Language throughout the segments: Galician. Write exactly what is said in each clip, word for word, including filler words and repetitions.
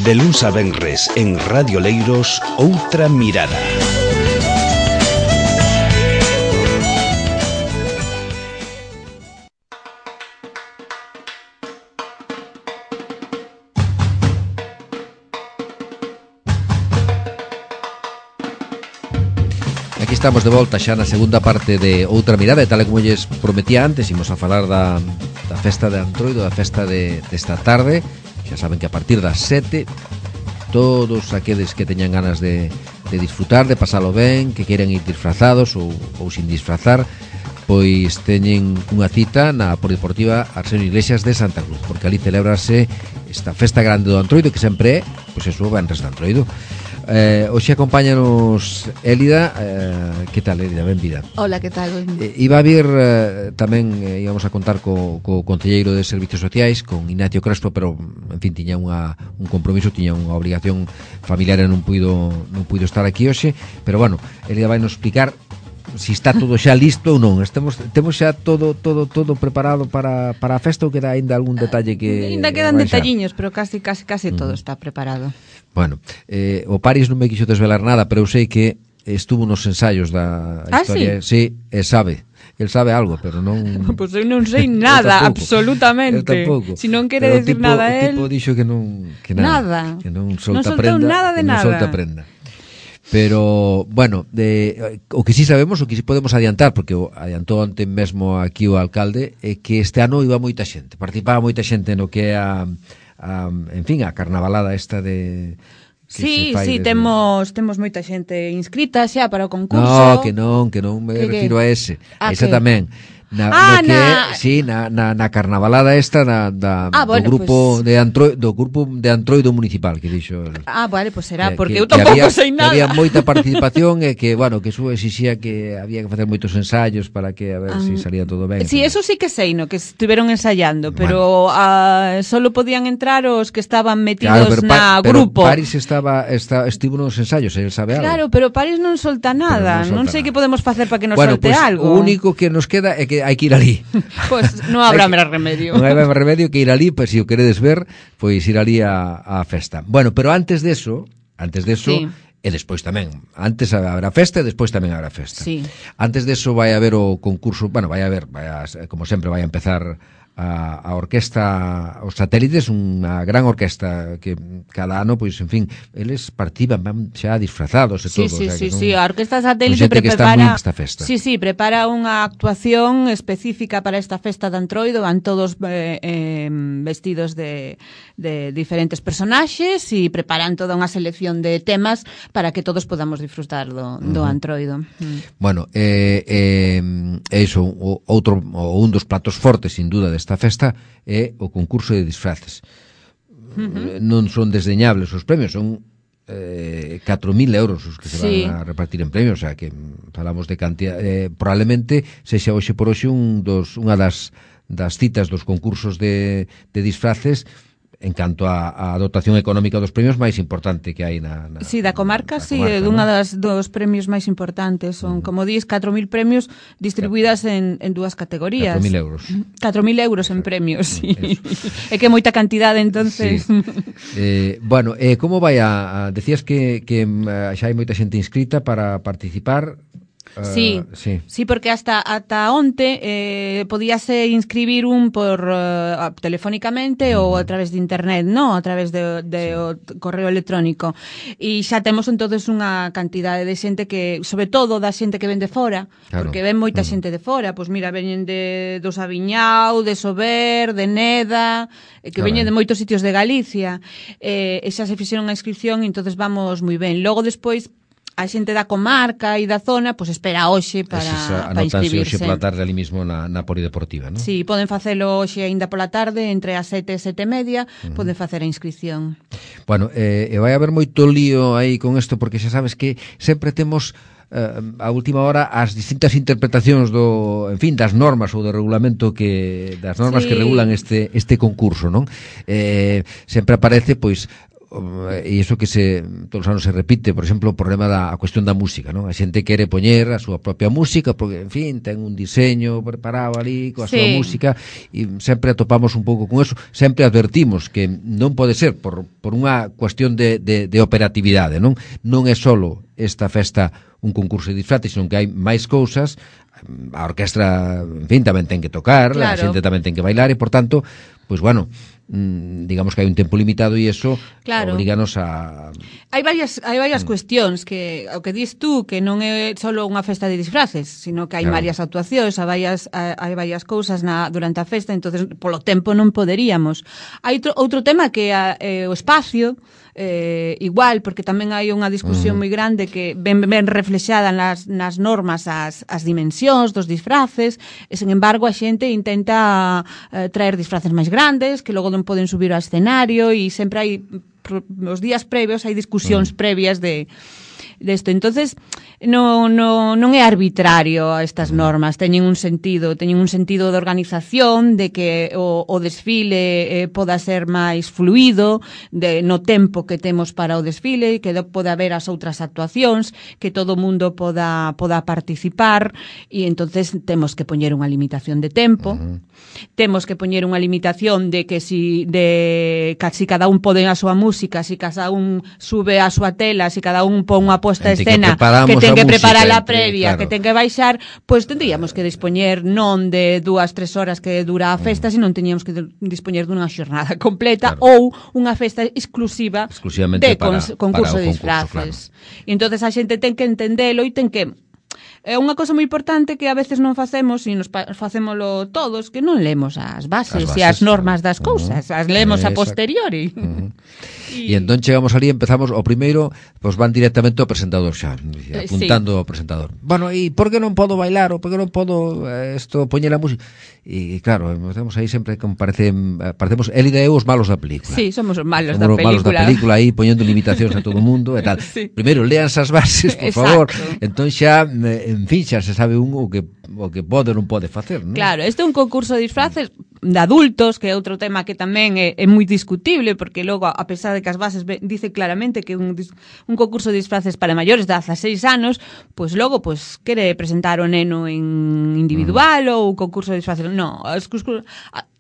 De luns a venres en Radio Leiros, Outra Mirada. Aquí estamos de volta xa na segunda parte de Outra Mirada, e tal como lles prometía antes, imos a falar da, da festa de Antroido, da festa de, desta tarde. Xa saben que a partir das sete todos aqueles que teñan ganas de, de disfrutar, de pasalo ben, que queiran ir disfrazados ou, ou sin disfrazar, pois teñen unha cita na Polideportiva Arsenio Iglesias de Santa Cruz, porque ali celebrase esta festa grande do Antroido, que sempre é, pois eso, o venres de Antroido. Eh, hoxe acompáñanos Élida. Eh, que tal, Élida? Benvida. Hola, que tal? Eh, iba a vir eh, tamén, eh, íbamos a contar co, co Concelleiro de Servicios Sociais, con Ignacio Crespo, pero en fin, tiña unha, un compromiso, tiña unha obligación familiar e non puido, non puido estar aquí hoxe, pero bueno, Élida vai nos explicar si está todo xa listo ou non. Estamos, temos xa todo todo todo preparado para, para a festa, ou queda aínda algún detalle que Ainda quedan detalliños, pero casi casi casi mm. todo está preparado. Bueno, eh, o Paris non me quixo desvelar nada, pero eu sei que estuvo nos ensaios da ah, historia. Sí? Sí, e sabe. El sabe algo, pero non... Pois pues eu non sei nada, absolutamente. Si non quere decir tipo, nada él... O tipo dixo que non... Que nada. Nada. Que non solta non prenda. nada de non nada. solta prenda. Pero, bueno, de, o que sí sabemos, o que sí podemos adiantar, porque o adiantou onte mesmo aquí o alcalde, é que este ano iba moita xente, participaba moita xente no que é a, a en fin, a carnavalada esta de... Sí, sí, desde... temos temos moita xente inscrita xa para o concurso. No, que non, que non me que, refiro que... a ese. Ah, a esa que... tamén. Na, ah, no que na... é, sí, na, na, na carnavalada esta da, da, ah, bueno, do grupo pues... de Antroido, do grupo de Antroido municipal, que dixo. Ah, vale, pues será, que, porque que, eu tampouco había, sei nada. Que había moita participación e que, bueno, que eso exixía que había que facer moitos ensaios para que a ver ah, se si salía todo ben. Sí, eso sí que sei, no, que estiveron ensaiando, pero bueno. uh, solo podían entrar os que estaban metidos claro, pero na pa, grupo. Pero Paris estaba, está, estivo nos ensaios, el sabe algo. Claro, pero Paris non solta nada, non, non sei que podemos facer para que nos bueno, solte pues, algo. O único que nos queda é que hai que ir ali. Pois pues non habrá máis remedio. Non hai máis remedio que ir ali, pois pues, se o queredes ver, pois ir ali a, a festa. Bueno, pero antes de eso, antes de eso, sí. E despois tamén, antes habrá festa e despois tamén habrá festa. Sí. Antes de eso vai haber o concurso, bueno, vai haber, vai a, como sempre vai a empezar a, a orquesta, os satélites, unha gran orquesta que cada ano, pois, en fin, eles participan, van xa disfrazados e sí, todo. Sí, o sea, sí, son, sí, a orquesta satélite prepara esta festa. Sí, sí, prepara unha actuación específica para esta festa de Antroido, van todos eh, eh, vestidos de, de diferentes personaxes e preparan toda unha selección de temas para que todos podamos disfrutar do, do uh-huh. Antroido. Mm. Bueno, eh, eh, iso, o, outro, o, un dos platos fortes, sin duda, esta festa é o concurso de disfraces. Uh-huh. Non son desdeñables os premios, son eh, catro mil euros os que se sí. van a repartir en premios, o sea que falamos de cantidad, eh, probablemente sexa hoxe por hoxe un dos, unha das, das citas dos concursos de, de disfraces en canto a, a dotación económica dos premios máis importante que hai na, na Sí, da comarca, sí, comarca, unha ¿no? das dos premios máis importantes. Son, uh-huh. como dis, catro mil premios distribuídas en, en dúas categorías. catro mil euros. catro mil euros en premios, sí. É que moita cantidade, entonces. Sí. eh, bueno, eh, como vai a, a decías que, que uh, xa hai moita xente inscrita para participar. Uh, sí, sí, sí, porque hasta ata onte eh, podíase inscribir un por uh, telefónicamente uh-huh. ou a través de internet, no, a través de, de sí. o correo electrónico. E xa temos entonces unha cantidade de xente que, sobre todo da xente que ven de fora, claro. Porque ven moita uh-huh. xente de fora, pois mira, veñen de do Sabiñao, de Sober, de Neda, que claro. veñen de moitos sitios de Galicia. Eh, e xa se fixeron a inscripción e entonces vamos moi ben. Logo despois a xente da comarca e da zona, pois espera hoxe para, para inscribirse. Hoxe pola tarde ali mismo na, na Polideportiva, non? Sí, poden facelo hoxe aínda pola tarde, entre as sete e sete e media, uh-huh. poden facer a inscripción. Bueno, eh, e vai haber moito lío aí con isto, porque xa sabes que sempre temos eh, a última hora as distintas interpretacións do, en fin, das normas ou do regulamento que das normas sí. que regulan este este concurso, non? Eh, sempre aparece, pois, e iso que se todos os anos se repite, por exemplo, o problema da a cuestión da música, non? A xente quere poñer a súa propia música porque, en fin, ten un diseño preparado ali coa sí. súa música e sempre atopamos un pouco con eso, sempre advertimos que non pode ser por, por unha cuestión de, de, de operatividade, non? Non é solo esta festa un concurso de disfraces, senón que hai máis cousas. A orquestra, en fin, tamén ten que tocar, claro. A xente tamén ten que bailar e, por tanto, pois, bueno, mmm, digamos que hai un tempo limitado e iso claro. Obriganos a... Hai varias, hai varias mm. cuestións que, o que dis tú, que non é só unha festa de disfraces, sino que hai claro. varias actuacións, hai varias, hai varias cousas na, durante a festa, entonces polo tempo non poderíamos. Hai outro, outro tema que é eh, o espacio, eh, igual, porque tamén hai unha discusión moi grande que ven, ven reflexada nas, nas normas as, as dimensións dos disfraces, e, sen embargo, a xente intenta eh, traer disfraces máis grandes, que logo non poden subir ao escenario, e sempre hai, os días previos, hai discusións mm. previas de desto. Entonces, no, no, non é arbitrario estas normas, teñen un sentido, teñen un sentido de organización, de que o, o desfile eh, poda ser máis fluido, de, no tempo que temos para o desfile, que do, poda haber as outras actuacións, que todo o mundo poda, poda participar, e entonces temos que poñer unha limitación de tempo, uh-huh. temos que poñer unha limitación de que si, de, que si cada un pode a súa música, si cada un sube a súa tela, si cada un pon unha posta de escena que, que ten que preparar a previa, claro. que ten que baixar, pois pues, tendríamos que dispoñer non de dúas, tres horas que dura a festa, mm. senón teníamos que dispoñer dunha xornada completa, claro. ou unha festa exclusiva de para, concurso para de disfraces. Claro. E entonces a xente ten que entendelo e ten que... É unha cosa moi importante que a veces non facemos, e nos facémolo todos, que non lemos as bases, as bases e as normas das cousas, uh-huh. as lemos eh, a posteriori. Uh-huh. E entón chegamos ali, empezamos, o primeiro, pois van directamente ao presentador xa, apuntando sí. ao presentador. Bueno, e por que non podo bailar, ou por que non podo isto, poñer a música? E claro, estamos aí sempre como parecen, parecemos Elida e eu os malos da película. Sí, somos os malos somos da película. Somos os malos da película aí, poñendo limitacións a todo o mundo e tal. Sí. Primeiro, leanse as bases, por Exacto. favor. Entón xa, en fin, xa se sabe un o que o que pode ou non pode facer, non? Claro, este é un concurso de disfraces de adultos, que é outro tema que tamén é, é moi discutible, porque logo, a pesar de que as bases dice claramente que un, un concurso de disfraces para maiores de dezaseis anos, pois logo, pois, quere presentar o neno en individual mm. ou concurso de disfraces. No, as concursos...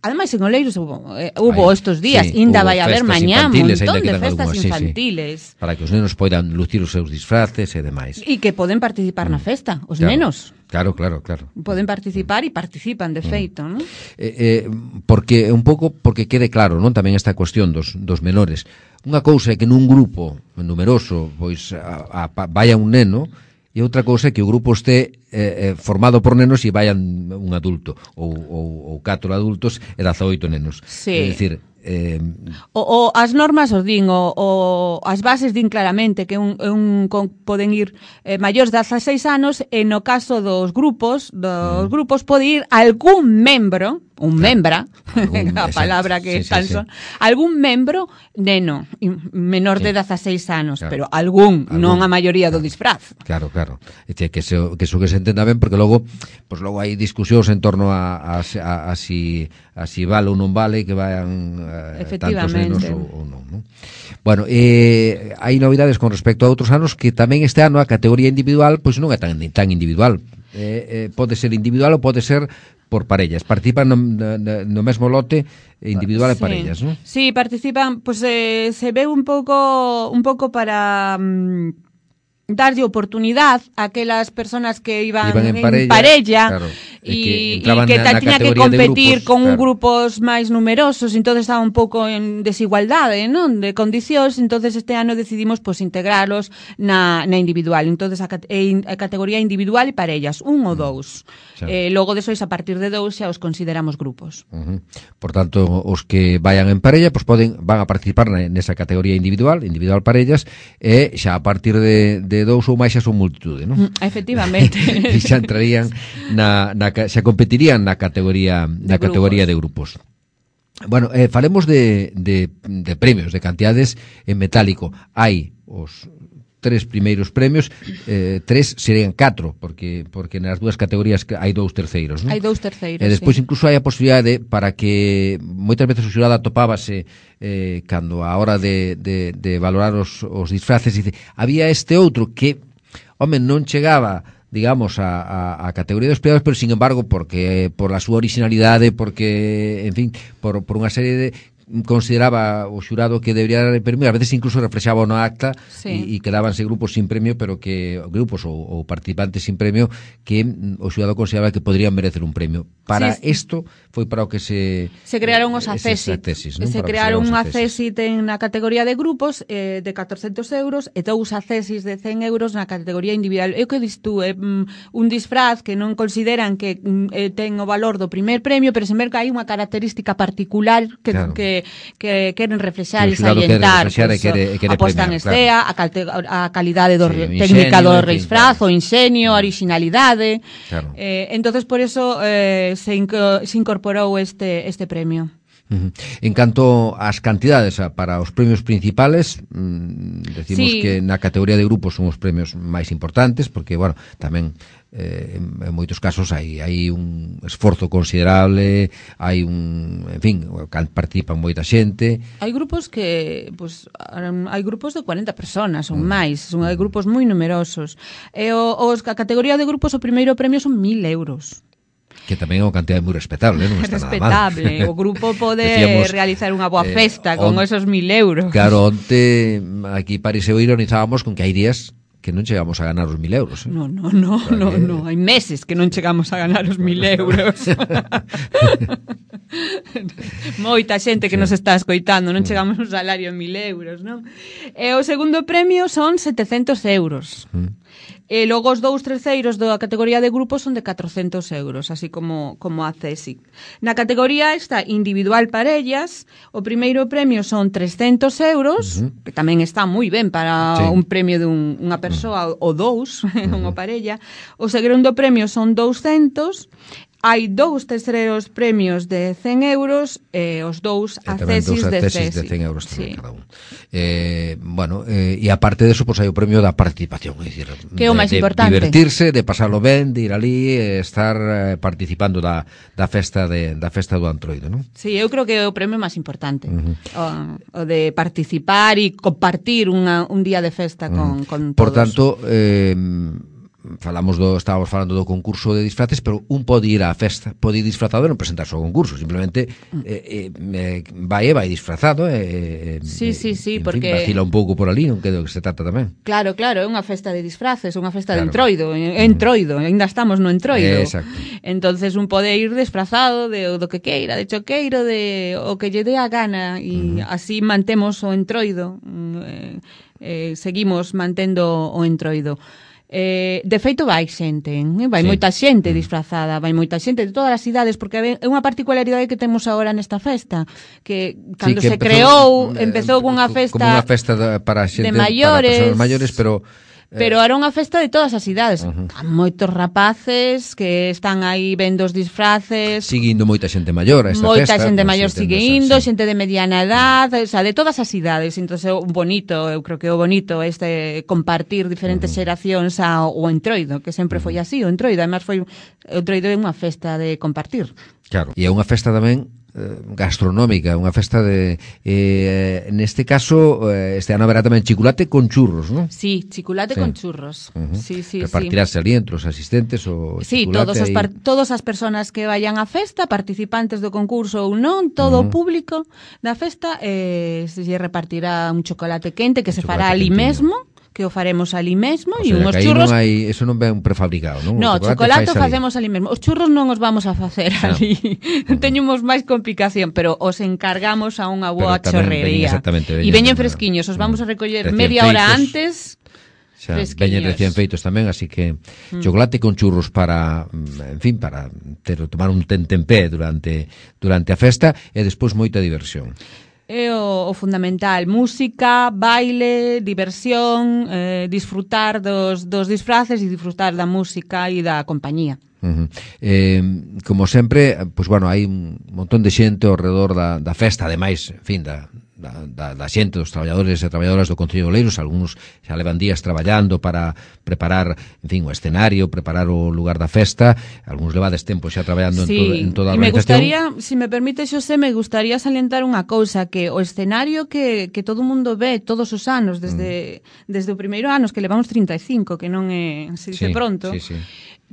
Ademais, en Oleiros hubo, eh, hubo Ay, estos días, sí, ainda vai haber mañá un montón de festas algunas, infantiles. Sí, sí. Para que os nenos poidan lucir os seus disfraces e demais. E que poden participar mm. na festa, os claro, nenos. Claro, claro, claro. Poden participar mm. e participan, de feito, mm. non? Eh, eh, porque, un pouco, porque quede claro, non? Tamén esta cuestión dos, dos menores. Unha cousa é que nun grupo numeroso, pois, a, a, a, vaya un neno, e outra cousa é que o grupo este eh, eh, formado por nenos e vayan un adulto ou, ou, ou catro adultos e dezaoito nenos. Sí. É dicir, eh... o, o, as normas os din, o, o, as bases din claramente que un, un, con, poden ir eh, maiores de dezaseis anos, e no caso dos grupos, dos mm. grupos pode ir algún membro, un claro. membra, algún, a palabra que sí, tan sí, son, sí. algún membro neno, menor sí. de dezaseis anos, claro. pero algún, algún, non a maioría do disfraz. Claro, claro. É que eso que, que se entenda ben, porque logo, pues logo hai discusións en torno a, a, a, a si a si vale ou non vale que vayan eh, tantos nenos ou, ou non, non. Bueno, eh, hai novidades con respecto a outros anos, que tamén este ano a categoría individual pois non é tan, tan individual. Eh, eh, pode ser individual ou pode ser por parellas. Participan no, no, no mesmo lote individual sí. e parellas, non? Sí, participan, pois pues, eh, se ve un pouco un pouco para um, darlle oportunidade a aquelas persoas que iban, iban en, en parella, parella claro, e, e que, que na, tiña que competir grupos, con claro. grupos máis numerosos, entonces estaba un pouco en desigualdade, non? De condicións, entonces este ano decidimos pues, integralos na, na individual, entonces a, a categoría individual e parellas, un ou dous. Xa. Eh, logo desois, a partir de dous, xa os consideramos grupos. Uh-huh. Por tanto, os que vayan en parella, pues poden, van a participar nesa categoría individual, individual parellas, e xa a partir de, de dous ou máis xa son multitude, non? Mm, efectivamente. E xa entrarían na, na xa competirían na categoría na de categoría de grupos. Bueno, eh, falemos de, de, de premios, de cantidades en metálico. Hai os tres primeiros premios, eh, tres serían catro, porque porque nas dúas categorías hai dous terceiros, non? Hai dous terceiros, E despois sí. incluso hai a posibilidade para que moitas veces o xurado atopábase eh, cando a hora de, de, de valorar os, os disfraces, dice, había este outro que, home, non chegaba, digamos, a, a, a categoría dos premiados, pero sin embargo, porque por la súa originalidade, porque, en fin, por, por unha serie de consideraba o xurado que debería dar el premio, a veces incluso reflexaba no acta sí. e, e quedábanse grupos sin premio, pero que grupos ou, ou participantes sin premio que o xurado consideraba que podrían merecer un premio. Para sí, sí. isto foi para o que se se crearon os acésit. ¿no? Se crearon un acésit en na categoría de grupos eh, de catorcentos euros e dous acésis de cen euros na categoría individual. É o que dis tú, é un disfraz que non consideran que eh, ten o valor do primer premio, pero sen ver que hai unha característica particular que, claro. que que queren reflexar e salientar, pues, e quere, quere a posta en estea, claro. a, a calidade do sí, técnica ingenio, do disfraz, claro. o ingenio, a originalidade. Claro. Eh, entonces por eso eh, se, inco, se incorporou este este premio. Uh-huh. En canto ás cantidades a, para os premios principales, mmm, decimos sí. que na categoría de grupos son os premios máis importantes, porque, bueno, tamén eh, en, en moitos casos hai, hai un esforzo considerable, hai un, en fin, participan moita xente. Hai grupos que, pues, hai grupos de cuarenta personas ou mm. máis, son hai grupos moi numerosos. E o, os, a categoría de grupos, o primeiro premio son mil euros. Que tamén é unha cantidade moi respetable, non está respetable. Nada mal. O grupo pode Decíamos, realizar unha boa festa eh, con on, esos mil euros. Claro, onte aquí pareceu ironizábamos con que hai días que non chegamos a ganar os mil euros. Eh? No, no, no, o sea, no, que... no, hai meses que non chegamos a ganar os mil euros. Moita xente que sí. nos está escoitando, non chegamos un salario de mil euros, non? E o segundo premio son setecentos euros. Mm. E logo os dous terceiros da categoría de grupos son de catrocentos euros, así como como a CESIC. Na categoría esta individual parellas, o primeiro premio son trescentos euros, uh-huh. que tamén está moi ben para sí. un premio de un, unha persoa uh-huh. ou dous, uh-huh. unha parella. O segundo premio son douscentos. Hai dous terceiros premios de cen euros e os dous accesis de cen. de cen euros tamén, sí. cada un. Eh, bueno, eh, e aparte de eso, pues, hai o premio da participación, é dicir, que é o máis de, importante. De divertirse, de pasarlo ben, de ir ali, eh, estar eh, participando da, da festa de, da festa do Antroido, non? Sí, eu creo que é o premio máis importante. Uh-huh. o, o de participar e compartir unha, un día de festa con, uh-huh. con todos. Por tanto, eh, falamos do, estábamos falando do concurso de disfraces, pero un pode ir á festa, pode ir disfrazado e non presentarse ao concurso, simplemente eh, eh, vai e vai disfrazado e eh, sí, sí, sí, en porque fin, vacila un pouco por ali, non que do que se trata tamén. Claro, claro, é unha festa de disfraces, unha festa claro. de entroido, é entroido, ainda estamos no entroido. Exacto. Entonces un pode ir disfrazado de do que queira, de choqueiro, de o que lle dé a gana e uh-huh. así mantemos o entroido, eh, eh, seguimos mantendo o entroido. Eh, de feito vai xente, eh? vai sí. moita xente disfrazada, vai moita xente de todas as idades, porque é unha particularidade que temos agora nesta festa, que cando sí, que se empezou, creou, empezou eh, unha festa como unha festa para xente, de maiores, para persoas maiores, pero Pero era unha festa de todas as idades. Uh-huh. Há moitos rapaces que están aí vendo os disfraces. Seguindo moita xente maior a esta moita festa. Moita xente maior sigue indo, sí. xente de mediana edad, o sea, de todas as idades. Entón, é bonito, eu creo que é bonito este compartir diferentes uh-huh. xeracións ao entroido, que sempre foi así, o entroido. Además, foi, o entroido é unha festa de compartir. Claro, e é unha festa tamén gastronómica, unha festa de eh, neste caso eh, este ano haberá tamén chiculate con churros, ¿no? Sí, chiculate sí. con churros. Uh-huh. Sí, sí, repartirase sí. ali entre os asistentes o sí, todos os par- todas as persoas que vayan á festa, participantes do concurso ou non, todo uh-huh. o público da festa eh, se lle repartirá un chocolate quente que un se fará ali mesmo, que o faremos ali mesmo e unhos churros. Non hai, eso non ven prefabricado, non? No, o chocolate, chocolate o facemos ali mesmo. Os churros non os vamos a facer no. ali. Non teñemos máis complicación, pero os encargamos a unha boa chorrería. E veñen fresquiños, os vamos a recoller media hora antes. Xa, veñen recién feitos tamén, así que mm. chocolate con churros para, en fin, para ter, tomar un tentempé durante durante a festa e despois moita diversión. É o, o fundamental, música, baile, diversión, eh, disfrutar dos, dos disfraces e disfrutar da música e da compañía. Uh-huh. Eh, como sempre, pues bueno, hai un montón de xente ao redor da, da festa, ademais, en fin, da, da, da, da xente, dos traballadores e traballadoras do Concello de Oleiros. Algúns xa levan días traballando para preparar, en fin, o escenario, preparar o lugar da festa. Algúns levades tempo xa traballando sí, en, to, en toda a organización. Me gustaría, si se me permite, Xosé, me gustaría salientar unha cousa, que o escenario que, que todo o mundo ve todos os anos, desde, mm. desde o primeiro anos, que levamos trinta e cinco, que non é, se dice sí, pronto, sí, sí.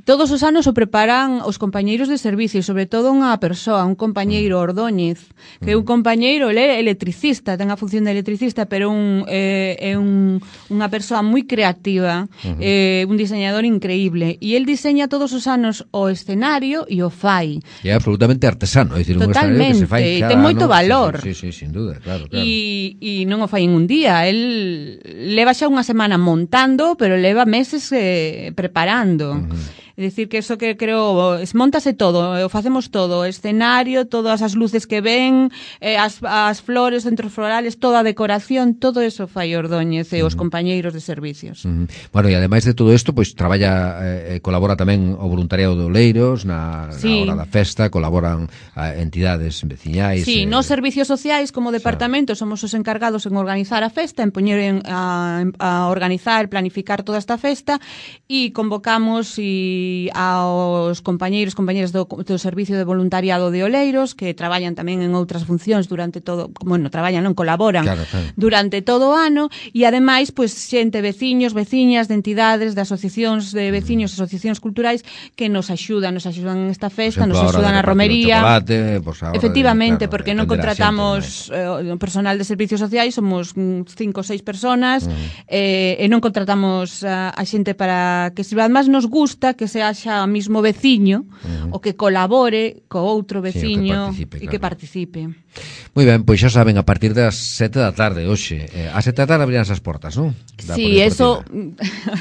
Todos os anos o preparan os compañeiros de servicio, sobre todo unha persoa, un compañeiro Ordóñez, que é un compañeiro, ele é electricista, ten a función de electricista, pero un, eh, é un, unha persoa moi creativa, uh-huh. eh, un diseñador increíble, e el diseña todos os anos o escenario e o fai. E é absolutamente artesano, é dicir, un escenario que se fai cada ten moito ano, valor. Sí, sí, sí, sin duda, claro, claro. E, e non o fai en un día, el leva xa unha semana montando, pero leva meses eh, preparando. Uh-huh. É dicir, que eso que creo, esmontase todo, o facemos todo, o escenario, todas as luces que ven, eh, as, as flores, centros florales, toda a decoración, todo eso fai Ordóñez e os compañeiros de servicios. Uh-huh. Bueno, e ademais de todo isto, pois traballa, eh, colabora tamén o voluntariado de Oleiros na, sí. na hora da festa, colaboran a entidades veciñais. Sí, eh, nos servicios sociais como departamento xa. Somos os encargados en organizar a festa, en poñer en, a, a organizar, planificar toda esta festa, e convocamos e aos compañeiros, compañeiras do, do Servicio de Voluntariado de Oleiros, que traballan tamén en outras funcións durante todo, bueno, traballan, non, colaboran claro, claro. durante todo o ano, e ademais, pois, xente, veciños, veciñas de entidades, de asociacións de veciños, asociacións culturais, que nos axudan, nos axudan en esta festa, exemplo, nos axudan a romería. Pues efectivamente, de, claro, porque non contratamos eh, personal de servicios sociais, somos cinco ou seis personas, uh-huh. eh, e non contratamos a, a xente para que sirva. Además, nos gusta que se haxa o mismo veciño, uh-huh. o que colabore co outro veciño sí, e que participe. Moi ben, pois xa saben, a partir das sete da tarde hoxe, eh, a sete da tarde abrirán as portas, non? Da sí, eso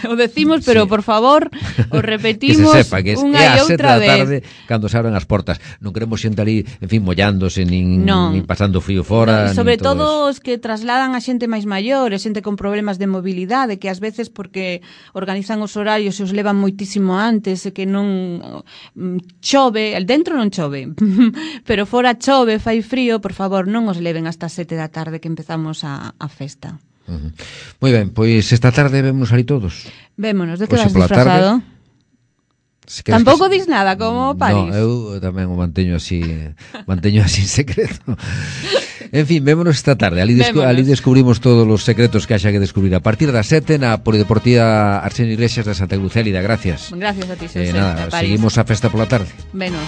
o decimos, pero sí. por favor, o repetimos que se sepa que es, unha e outra vez. É a sete da tarde cando se abren as portas. Non queremos xente ali, en fin, mollándose, nin, non. nin pasando frío fora. No, sobre todo, todo os que trasladan a xente máis maior, a xente con problemas de mobilidade, que ás veces porque organizan os horarios e os levan moitísimo antes, e que non chove, dentro non chove, pero fora chove, fai frío, por favor, non os leven hasta as sete da tarde que empezamos a, a festa. Uh-huh. Moi ben, pois esta tarde vémonos ali todos. Vémonos, de que vas disfrazado? Si tampouco que... dis nada, como París. No, eu tamén o manteño así, manteño así en secreto. En fin, vémonos esta tarde. Ali, descu ali descubrimos todos os secretos que haxa que descubrir. A partir das sete na Polideportiva Arsenio Iglesias de Santa Cruzélida. Gracias. Gracias a ti, Xosé. Eh, nada, seguimos a festa pola tarde. Venos.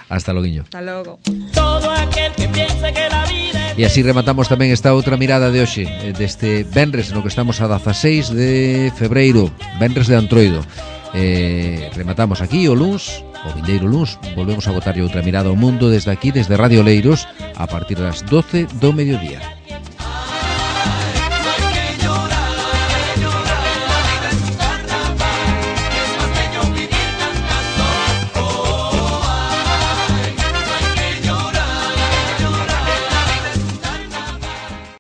Hasta loguiño. Hasta logo. Todo aquel que piense que la vida... E así rematamos tamén esta outra mirada de hoxe, deste venres no que estamos a dezaseis de febreiro, venres de Antroido. Eh, rematamos aquí o luns, o vindeiro luns, volvemos a botarlle outra mirada ao mundo desde aquí, desde Radio Oleiros, a partir das doce do mediodía.